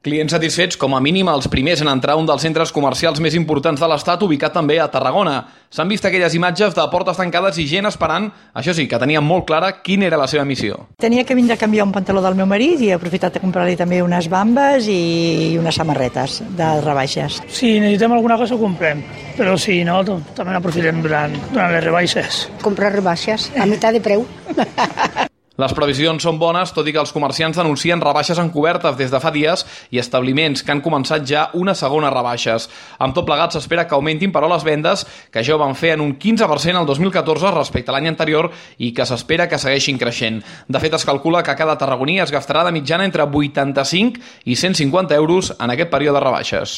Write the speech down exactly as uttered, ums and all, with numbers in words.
Clients satisfets, com a mínim els primers en entrar a un dels centres comercials més importants de l'Estat, ubicat també a Tarragona. S'han vist aquelles imatges de portes tancades i gent esperant, això sí, que tenien molt clara quina era la seva missió. Tenia que vindre a canviar un pantaló del meu marit i he aprofitat de comprar-li també unes bambes i unes samarretes de rebaixes. Si necessitem alguna cosa ho comprem, però si no, també n'aprofitem durant, durant les rebaixes. Comprar rebaixes a meitat de preu. Les previsions són bones, tot i que els comerciants denuncien rebaixes encobertes des de fa dies i establiments que han començat ja una segona rebaixes. Amb tot plegat s'espera que augmentin, però, les vendes, que ja ho van fer en un quinze per cent el dos mil catorze respecte a l'any anterior i que s'espera que segueixin creixent. De fet, es calcula que cada tarragoní es gastarà de mitjana entre vuitanta-cinc i cent cinquanta euros en aquest període de rebaixes.